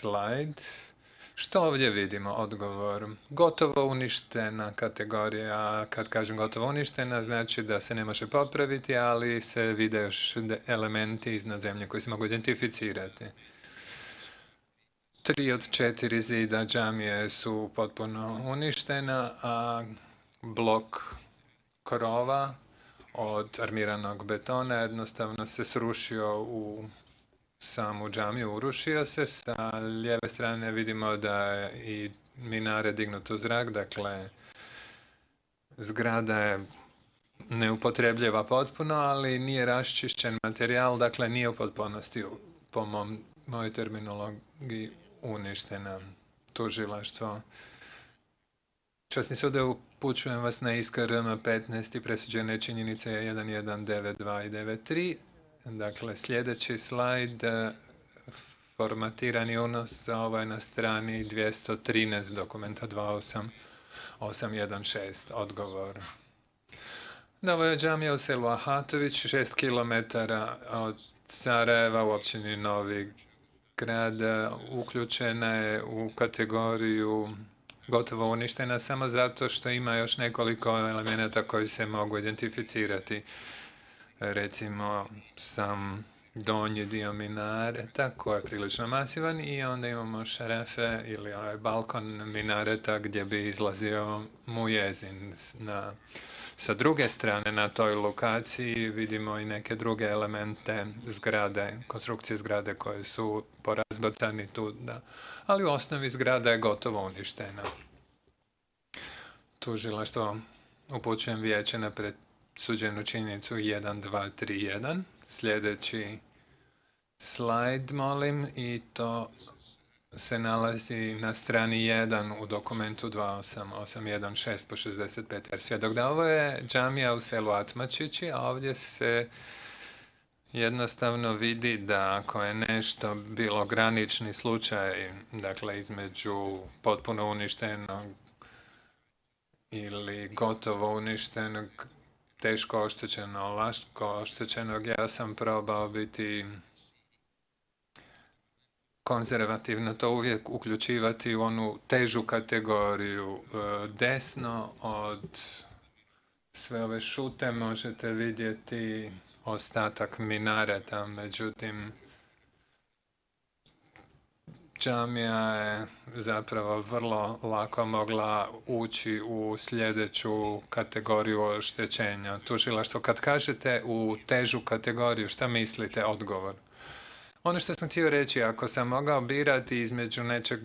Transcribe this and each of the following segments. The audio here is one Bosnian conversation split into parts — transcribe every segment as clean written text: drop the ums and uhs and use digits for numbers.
slajd. Što ovdje vidimo? Odgovor. Gotovo uništena kategorija. Kad kažem gotovo uništena, znači da se ne može popraviti, ali se vide još elementi iznad zemlje koji se mogu identificirati. 3 od 4 zida džamije su potpuno uništena, a blok krova od armiranog betona jednostavno se srušio u samu džamiju, urušio se. Sa lijeve strane vidimo da je i minare dignut u zrak, dakle zgrada je neupotrebljiva potpuno, ali nije raščišćen materijal, dakle nije u potpunosti po mojoj terminologiji uništena. Tužilaštvo. Časni sude, upućujem vas na ISKRM 15 i presuđene činjenice 1192 i 93. Dakle, sljedeći slajd, formatirani unos za ovo je na strani 213 dokumenta 28816. Odgovor. Da, ovo je džamija u selu Ahatović, 6 km od Sarajeva u općini Novi Grad. Uključena je u kategoriju gotovo uništena samo zato što ima još nekoliko elemenata koji se mogu identificirati. Recimo sam donji dio minareta koji je prilično masivan i onda imamo šarafe ili balkon minareta gdje bi izlazio mujezin. Sa druge strane na toj lokaciji vidimo i neke druge elemente zgrade, konstrukcije zgrade koje su porazbacani tu, ali u osnovi zgrada je gotovo uništena. Tužilaštvo, upućujem vijeće na presuđenu činjenicu 1231. Sljedeći slajd, molim, i to se nalazi na strani 1 u dokumentu 28816 po 65 svjedok. Da, ovo je džamija u selu Atmačići, a ovdje se jednostavno vidi da ako je nešto bilo granični slučaj, dakle između potpuno uništenog ili gotovo uništenog, teško oštećenog, lako oštećenog, ja sam probao biti konzervativno, to uvijek uključivati u onu težu kategoriju. Desno od sve ove šute možete vidjeti ostatak minareta, međutim džamija je zapravo vrlo lako mogla ući u sljedeću kategoriju oštećenja. Tužilaštvo, kad kažete u težu kategoriju, šta mislite? Odgovor. Ono što sam htio reći, ako sam mogao birati između nečeg,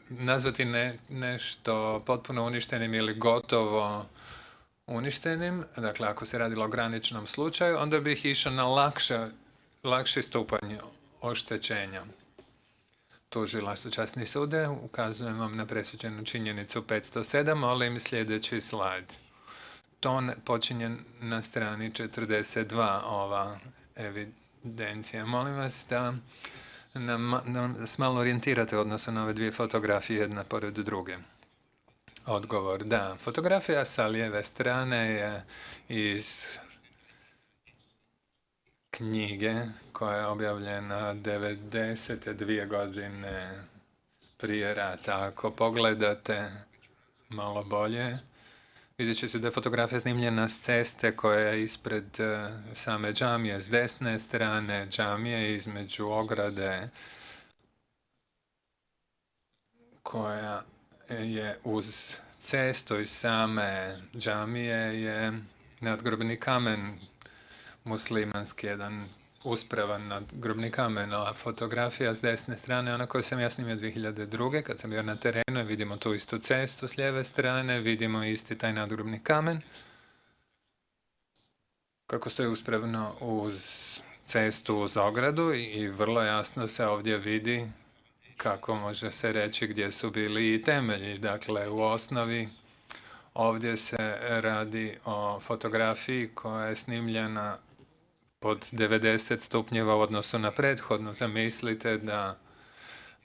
nazvati nešto potpuno uništenim ili gotovo uništenim, dakle ako se radilo o graničnom slučaju, onda bih išao na lakši stupanj oštećenja. Tužilaštvo, časni sude, ukazujem vam na presuđenu činjenicu 507, molim sljedeći slajd. To počinje na strani 42 ova evidencija. Molim vas da nas malo orijentirate u odnosu na ove dvije fotografije jedna pored druge. Odgovor, da. Fotografija sa lijeve strane je iz knjige koja je objavljena 92 godine prije rata. Ako pogledate malo bolje, vidjet ćete da je fotografija snimljena s ceste koja je ispred same džamije. S desne strane džamije između ograde koja je uz cestu iz same džamije je nadgrobni kamen muslimanski, jedan uspravan nadgrobni kamen, a fotografija s desne strane, ona koju sam ja snimio 2002. kad sam bio na terenu, vidimo tu istu cestu s lijeve strane, vidimo isti taj nadgrobni kamen kako stoji uspravno uz cestu, uz ogradu i vrlo jasno se ovdje vidi kako može se reći gdje su bili i temelji. Dakle, u osnovi ovdje se radi o fotografiji koja je snimljena pod 90 stupnjeva u odnosu na prethodno. Zamislite da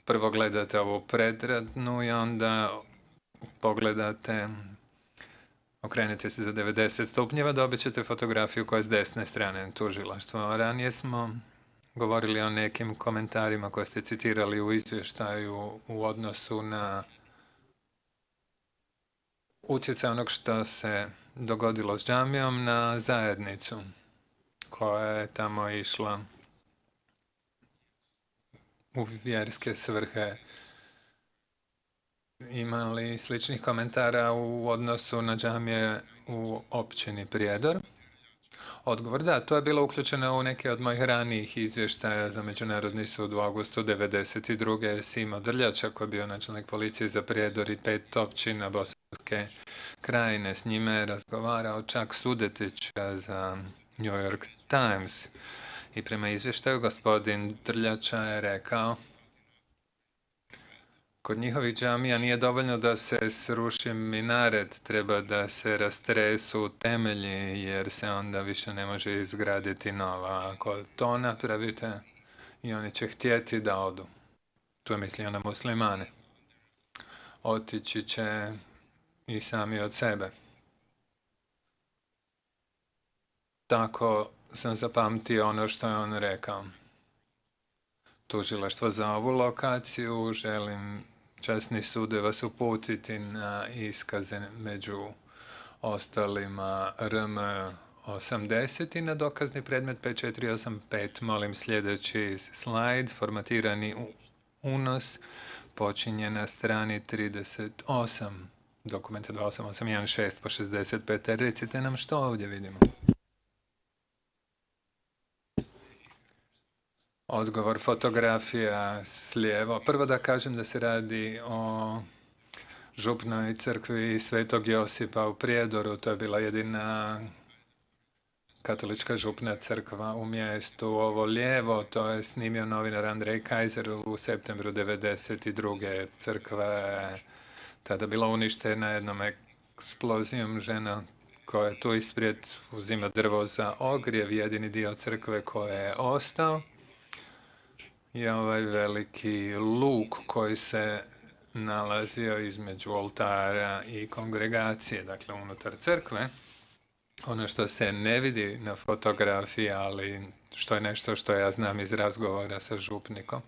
prvo gledate ovu predradnu i onda pogledate, okrenete se za 90 stupnjeva, dobit ćete fotografiju koja je s desne strane tužilaštva. Ranije smo govorili o nekim komentarima koje ste citirali u izvještaju u odnosu na utjecaj onog što se dogodilo s džamijom na zajednicu koja je tamo išla u vjerske svrhe. Ima li sličnih komentara u odnosu na džamije u općini Prijedor? Odgovor, da, to je bilo uključeno u neke od mojih ranijih izvještaja za Međunarodni sud u augustu 1992. Simo Drljača, koji je bio načelnik policije za Prijedor i 5 općina Bosanske krajine. S njime je razgovarao čak Sudetića za New York Times. I prema izvještaju gospodin Drljača je rekao: kod njihovih džamija nije dovoljno da se sruši minaret, treba da se rastresu temelji, jer se onda više ne može izgraditi nova. Ako to napravite, i oni će htjeti da odu. Tu je mislio na muslimane. Otići će i sami od sebe. Tako sam zapamtio ono što je on rekao. Tužilaštvo za ovu lokaciju, želim časni sude vas uputiti na iskaze među ostalima RM 80 i na dokazni predmet 5485. Molim sljedeći slajd, formatirani unos, počinje na strani 38, dokumenta 28816 po 65. Recite nam što ovdje vidimo. Odgovor, fotografija s lijevo. Prvo da kažem da se radi o župnoj crkvi Svetog Josipa u Prijedoru. To je bila jedina katolička župna crkva u mjestu. Ovo lijevo, to je snimio novinar Andrej Kajzer u septembru 1992. Crkva je tada bila uništena jednom eksplozijom. Žena koja je tu isprijed uzima drvo za ogrjev, jedini dio crkve koji je ostao je ovaj veliki luk koji se nalazio između oltara i kongregacije, dakle unutar crkve. Ono što se ne vidi na fotografiji, ali što je nešto što ja znam iz razgovora sa župnikom,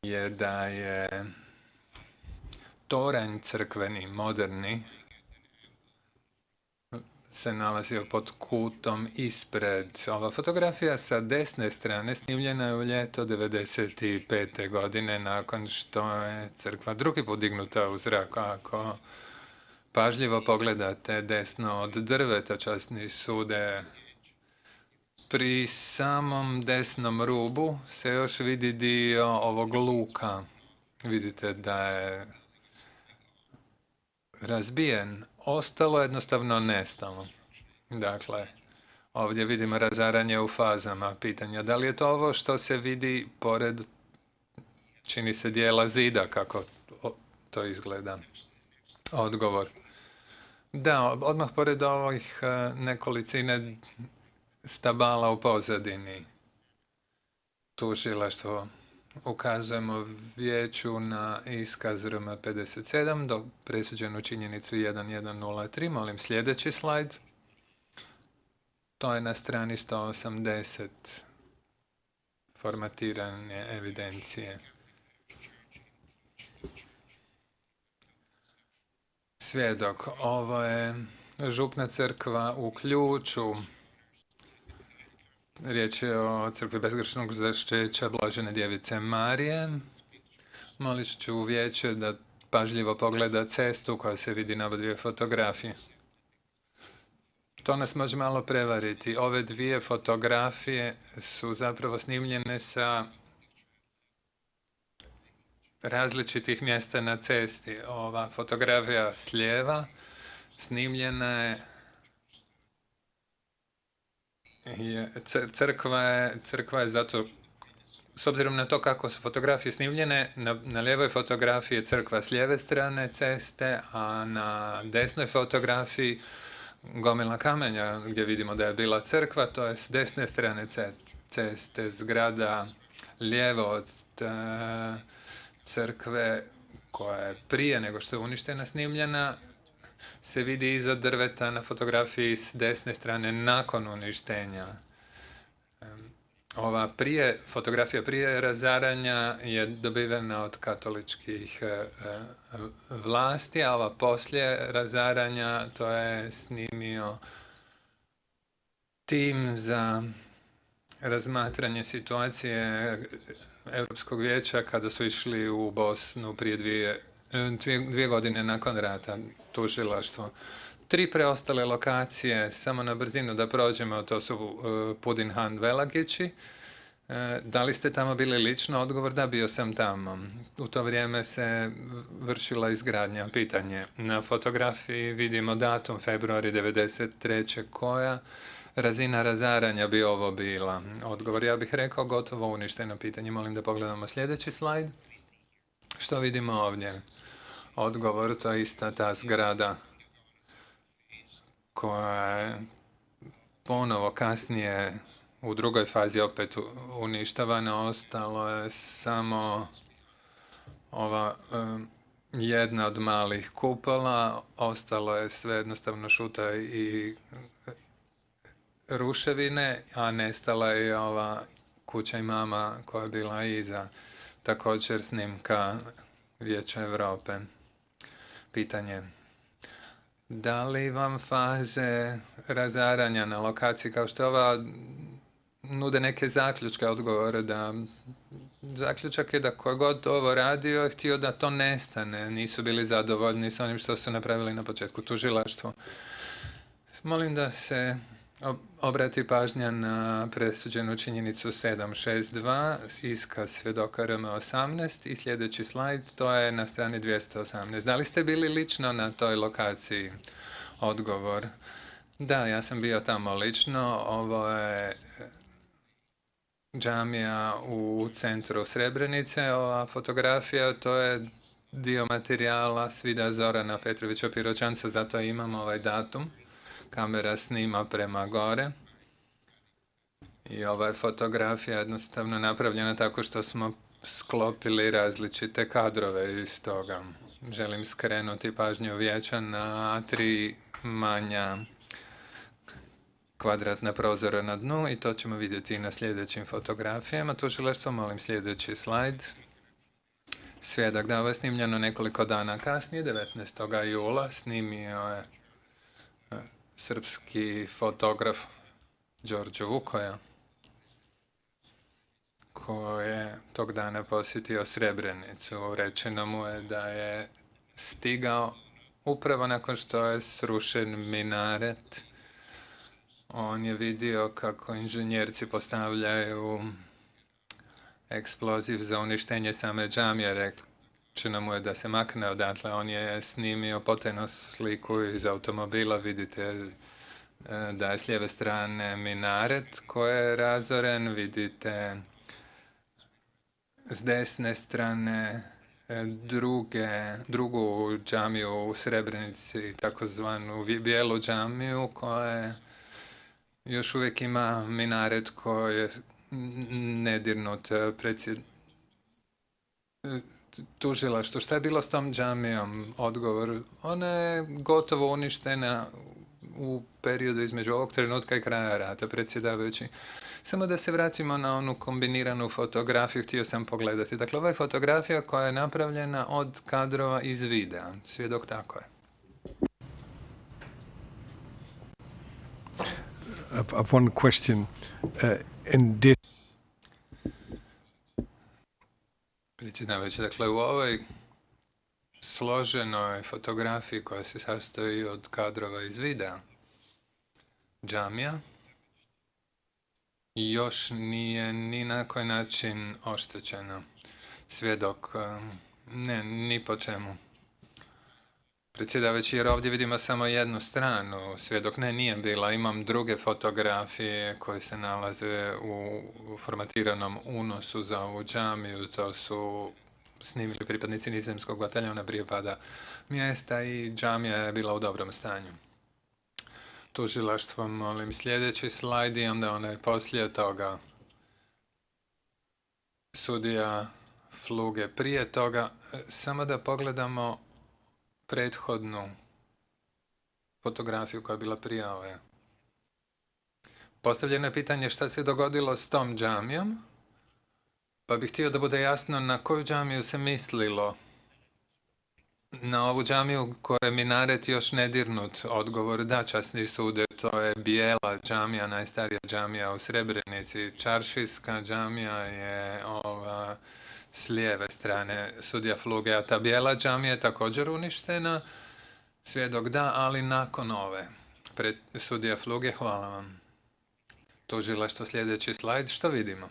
je da je toranj crkveni, moderni, se nalazio pod kutom ispred. Ova fotografija sa desne strane snimljena je u ljeto 1995. godine nakon što je crkva drugi put dignuta u zrak. Ako pažljivo pogledate desno od drveta, časni sude, pri samom desnom rubu se još vidi dio ovog luka. Vidite da je razbijen. Ostalo jednostavno nestalo. Dakle, ovdje vidimo razaranje u fazama. Pitanja, da li je to ovo što se vidi pored, čini se, dijela zida, kako to izgleda? Odgovor. Da, odmah pored ovih nekolicine stabala u pozadini. Tužilaštvo. Ukazujemo vijeću na iskaz RM 57 do presuđenu činjenicu 1103. Molim sljedeći slajd. To je na strani 180 formatirane evidencije. Svjedok. Ovo je župna crkva u Ključu. Riječ je o crkvi bezgrešnog začeća Blažene djevice Marije. Molit ću vijeće da pažljivo pogleda cestu koja se vidi na obje fotografije. To nas može malo prevariti. Ove dvije fotografije su zapravo snimljene sa različitih mjesta na cesti. Ova fotografija s lijeva snimljena je crkva je zato, s obzirom na to kako su fotografije snimljene, na lijevoj fotografiji je crkva s lijeve strane ceste, a na desnoj fotografiji gomila kamenja gdje vidimo da je bila crkva, to je s desne strane ceste, zgrada lijevo od crkve koja je prije nego što je uništena snimljena, se vidi iza drveta na fotografiji s desne strane nakon uništenja. ova fotografija prije razaranja je dobivena od katoličkih vlasti, a ova poslije razaranja to je snimio tim za razmatranje situacije Europskog vijeća kada su išli u Bosnu prije dvije godine nakon rata, tužilaštvo. 3 preostale lokacije, samo na brzinu da prođemo, to su Pudinhan, Velagići. Da li ste tamo bili lično? Odgovor da, bio sam tamo. U to vrijeme se vršila izgradnja. Pitanje. Na fotografiji vidimo datum februari 93. Koja razina razaranja bi ovo bila? Odgovor, ja bih rekao, gotovo uništeno. Pitanje. Molim da pogledamo sljedeći slajd. Što vidimo ovdje? Odgovor, to je ista ta zgrada koja je ponovo kasnije u drugoj fazi opet uništavana. Ostalo je samo ova jedna od malih kupola, ostalo je sve jednostavno šuta i ruševine, a nestala je ova kuća imama koja je bila iza. Također snimka Vijeća Europe. Pitanje. Da li vam faze razaranja na lokaciji kao što ova nude neke zaključke? Odgovore da zaključak je da ko god ovo radio je htio da to nestane. Nisu bili zadovoljni s onim što su napravili na početku. Tužilaštvo. Molim da se obrati pažnja na presuđenu činjenicu 762, iskaz svjedoka RM18 i sljedeći slajd, to je na strani 218. Da li ste bili lično na toj lokaciji? Odgovor. Da, ja sam bio tamo lično. Ovo je džamija u centru Srebrenice. Ova fotografija, to je dio materijala Svida Zorana Petrovića Piroćanca, zato imamo ovaj datum. Kamera snima prema gore. I ova je fotografija jednostavno napravljena tako što smo sklopili različite kadrove iz toga. Želim skrenuti pažnju vijeća na 3 manja kvadratna prozora na dnu i to ćemo vidjeti i na sljedećim fotografijama. Tužilaštvo, molim sljedeći slajd. Svjedok, da, ovo je snimljeno nekoliko dana kasnije, 19. jula, snimio je srpski fotograf Đorđe Vukoja, koji je tog dana posjetio Srebrenicu. Rečeno mu je da je stigao upravo nakon što je srušen minaret. On je vidio kako inženjerci postavljaju eksploziv za uništenje same džamije. Rečeno mu je da se makne odatle. On je snimio potajnu sliku iz automobila. Vidite da je s lijeve strane minaret koji je razoren. Vidite s desne strane drugu džamiju u Srebrenici, takozvanu bijelu džamiju, koja još uvijek ima minaret koji je nedirnut. Tužilaštvo, šta je bilo s tom džamijom? Odgovor, ona je gotovo uništena u periodu između ovog trenutka i kraja rata, predsjedavajući. Samo da se vratimo na onu kombiniranu fotografiju, htio sam pogledati. Dakle, ova je fotografija koja je napravljena od kadrova iz videa. Svjedok, tako je. One question. Predsjedavajući, dakle, u ovoj složenoj fotografiji koja se sastoji od kadrova iz videa, džamija još nije ni na koji način oštećena. Svjedok, ne, ni po čemu. Predsjedavajući, jer ovdje vidimo samo jednu stranu. Svjedok, ne, nije bila. Imam druge fotografije koje se nalaze u formatiranom unosu za ovu džamiju. To su snimili pripadnici nizozemskog bataljona prije pada mjesta i džamija je bila u dobrom stanju. Tužilaštvo, molim sljedeći slajd i onda onaj poslije toga. Sudija Fluge prije toga. Samo da pogledamo prethodnu fotografiju koja je bila prije ove. Postavljeno je pitanje šta se dogodilo s tom džamijom, pa bih htio da bude jasno na koju džamiju se mislilo. Na ovu džamiju koja je minaret još nedirnut. Odgovor da, časni sude, to je bijela džamija, najstarija džamija u Srebrenici. Čaršijska džamija je ova s lijeve strane sudija Fluge, a ta bijela džamija je također uništena. Svjedok da, ali nakon ove. Pred sudija Fluge, hvala vam. Tužilaštvo, sljedeći slajd, što vidimo?